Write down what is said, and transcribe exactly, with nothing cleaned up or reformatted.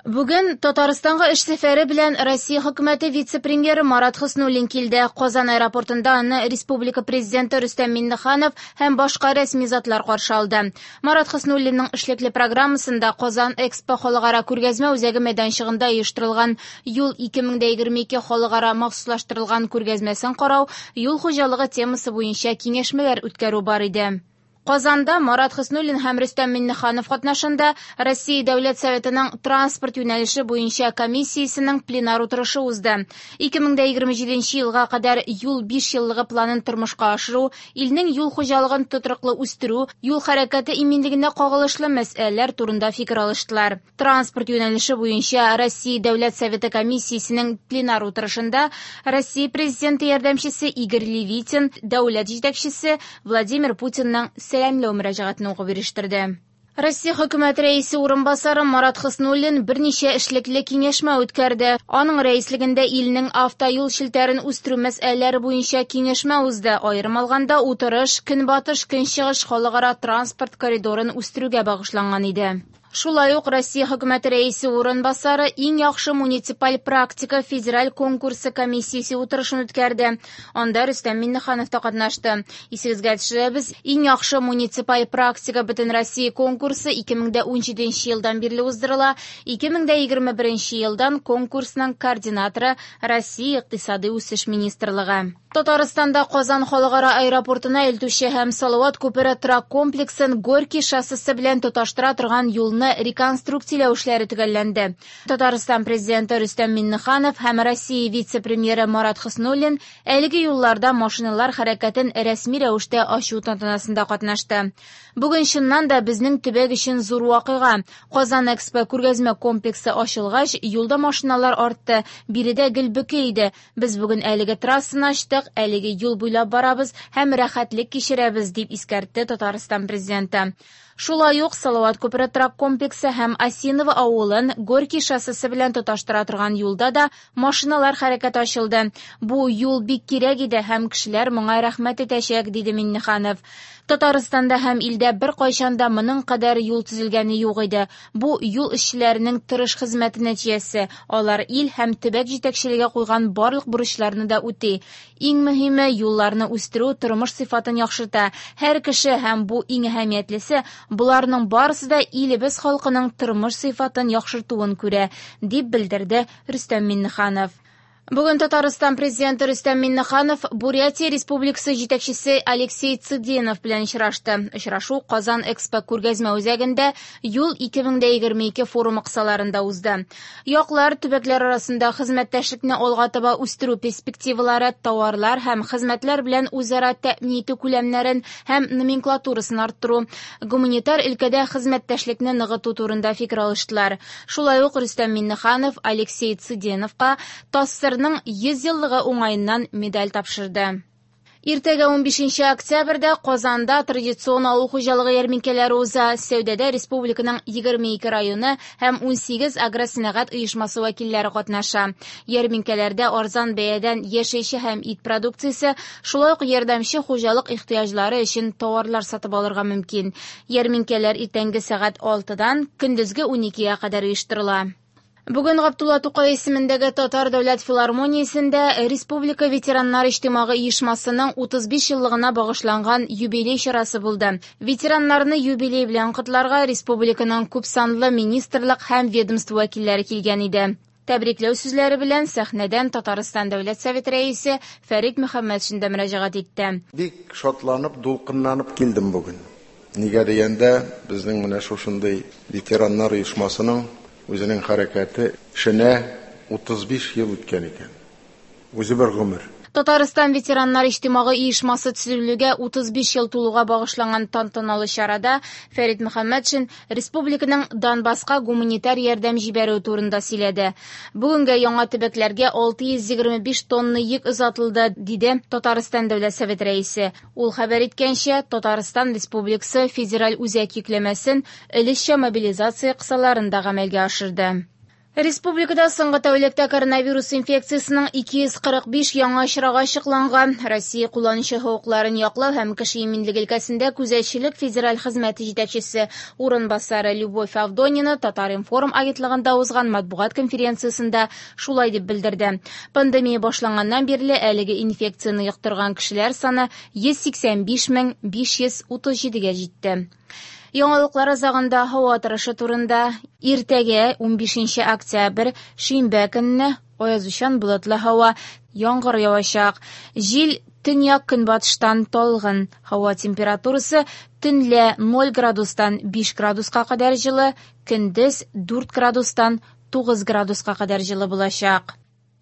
Бүген Татарстанга эш сәфәре белән Россия хөкүмәте вице-премьеры Марат Хөснуллин килде. Казан аэропортында аны республика президенты Рөстәм Миңнеханов һәм башка рәсми затлар каршы алды. Марат Хөснуллинның эшлекле программасында Казан Экспо халыкара күргәзмә үзәге мәйданчыгында оештырылган Юл ике мең дә егерме ике халыкара махсуслаштырылган күргәзмәсен карау, юл хуҗалыгы темасы буенча киңәшмәләр үткәрү бар иде. Казанда Марат Хөснуллин һәм Рөстәм Миңнеханов катнашында Россия Дәүләт Советының транспорт юнәлеше буенча комиссиясенең пленар утырышы узды. ике мең дә егерме җиденче елга кадәр юл биш еллыгы планын тормышка ашыру, илнең юл хуҗалыгын тотрыклы үстерү, юл хәрәкәте иминлегенә кагылышлы мәсьәләләр турында фикер алыштылар. Транспорт юнәлеше буенча Россия Дәүләт Советы комиссиясенең пленар утырышында Россия Президенты ярдәмчесе Игорь Левитин, дәүләт җитәкчесе Владимир Путинның сәламләү мөрәҗәгатен укып ирештерде. Россия хөкүмәте рәисе урынбасары Марат Хөснуллин берничә эшлекле киңәшмә үткәрде. Аның рәислегендә илнең автоюл челтәрен үстерү мәсьәләләре буенча киңәшмә узды. Аерым алганда, утырыш Көнбатыш Көнчыгыш халыкара транспорт коридорын үстерүгә багышланган иде. Шулай ук Россия хөкүмәте рәисе урынбасары иң яхшы муниципаль практика федераль конкурсы комиссиясе утырышын үткәрде. Анда Рөстәм Миңнеханов та катнашты. Исегезгә төшерәбез, иң яхшы муниципаль практика бөтен Россия конкурсы ике мең дә унҗиденче елдан бирле уздырыла. ике мең дә егерме беренче елдан конкурсның координаторы Россия Икътисади үсеш министрлыгы. Татарстанда Казан халыкара аэропортына илтүче һәм Салават күпере торак комплексын Горький шоссесы белән тоташтыра торган юлны реконструкцияләү эшләре төгәлләнде. Татарстан президенты Рөстәм Миңнеханов һәм Россия вице-премьеры Марат Хөснуллин әлеге юлларда машиналар хәрәкәтен рәсми рәвештә ачу тантанасында катнашты. Бүген чыннан да безнең төбәк өчен зур вакыйга. Казан Экспо күргәзмә комплексы ачылгач, юлда машиналар артты, биредә гел бөке иде. Без бүген әлеге трассаны ачтык, әлеге юл буйлап барабыз һәм рәхәтлек кичерәбез, дип искәртте Татарстан президенты. Шулай ук Салават күпере торак комплексы һәм Осиново авылын Горький шоссесы белән тоташтыра торган юлда да машиналар хәрәкәте ачылды. Бу юл бик кирәк иде һәм кешеләр моңа рәхмәт итәчәк, диде Миңнеханов. Татарстанда һәм илдә бер кайчан да моның кадәр юл төзелгәне юк иде. Бу юл эшчеләренең тырыш хезмәте нәтиҗәсе. Алар ил һәм төбәк җитәкчелеге куйган барлык бурычларны да үти. Иң мөһиме юлларны үстерү тормыш сыйфатын яхшырта. Һәр кеше һәм бу иң әһәмиятлесе, буларның барысы да илебез халкының тормыш сыйфатын яхшыртуын күрә, дип белдерде Рөстәм Миңнеханов. Бүген Татарстан президенты Рөстәм Миңнеханов Бурятия Республикасы җитәкчесе Алексей Цыденов белән очрашты. Очрашу Казан Экспо күргәзмә үзәгендә Юл ике мең дә егерме ике форумы кысаларында узды. Яклар төбәкләр арасында хезмәттәшлекне алга таба үстерү перспективалары, тауарлар һәм хезмәтләр белән үзара тәэмин итү күләмнәрен һәм номенклатурасын арттыру, гуманитар өлкәдә хезмәттәшлекне ныгыту турында фикер алыштылар. Шулай ук Рөстәм Миңнеханов Алексей Цыденовка ТАССРның йөз еллыгы уңаеннан медаль тапшырды. Иртәгә унбишенче октябрьдә Казанда традицион авыл хуҗалыгы ярминкәләре уза. Сәүдәдә республиканың егерме ике районы һәм унсигез агросәнәгать оешмасы вәкилләре катнаша. Ярминкәләрдә арзан бәядән яшелчә һәм ит продукциясе, шулай ук ярдәмче хуҗалык ихтыяҗлары өчен товарлар сатып алырга мөмкин. Ярминкәләр иртәнге сәгать алтыдан көндезге уникегә кадәр оештырыла. Бүген Габдулла Тукай исемендәге Татар дәүләт филармониясендә Республика ветераннар иҗтимагый оешмасының утыз биш еллыгына багышланган юбилей чарасы булды. Ветераннарны юбилей белән котларга республиканың күпсанлы министрлык һәм ведомство вәкилләре килгән иде. Тәбрикләү сүзләре белән сәхнәдән Татарстан Дәүләт Советы рәисе Фәрит Мөхәммәтшин дә мөрәҗәгать итте. Бик шатланып, дулкынланып килдем бүген. Нигә дигәндә, безнең менә шушындый ветераннар оешмасының үзенең хәрәкәте эшенә утыз биш ел үткән икән. Үзе бер гомер. Татарстан ветераннар иҗтимагый оешмасы төзелүгә утыз биш ел тулуга багышланган тантаналы чарада Фәрит Мөхәммәтшин республиканың Донбасска гуманитар ярдәм җибәрүе турында сөйләде. Бүгенгә яңа төбәкләргә алты йөз егерме биш тонна йөк озатылды, диде Татарстан Дәүләт Советы рәисе. Ул хәбәр иткәнчә, Татарстан Республикасы федераль үзәк йөкләмәсен өлешчә мобилизация кысаларында гамәлгә ашырды. Республикада соңгы тәүлектә коронавирус инфекциясенең ике йөз кырык биш яңа очрагы ачыкланган. Россия кулланучы хокукларын яклау һәм кеше иминлеге өлкәсендә күзәтчелек федераль хезмәте җитәкчесе урынбасары Любовь Авдонина Татар-информ агентлыгында узган матбугат конференциясендә шулай дип белдерде. Пандемия башланганнан бирле әлеге инфекцияне йоктырган кешеләр саны йөз сиксән биш мең биш йөз утыз җидегә җитте. Яңалыклар азагында һава торышы турында. Иртәгә унбишенче октябрь, шимбә көнне аязучан болытлы һава, яңгыр явачак. Җил төньяк көнбатыштан талгын. Һава температурасы төнлә ноль градустан биш градуска кадәр җылы, көндез дүрт градустан тугыз градуска кадәр җылы булачак.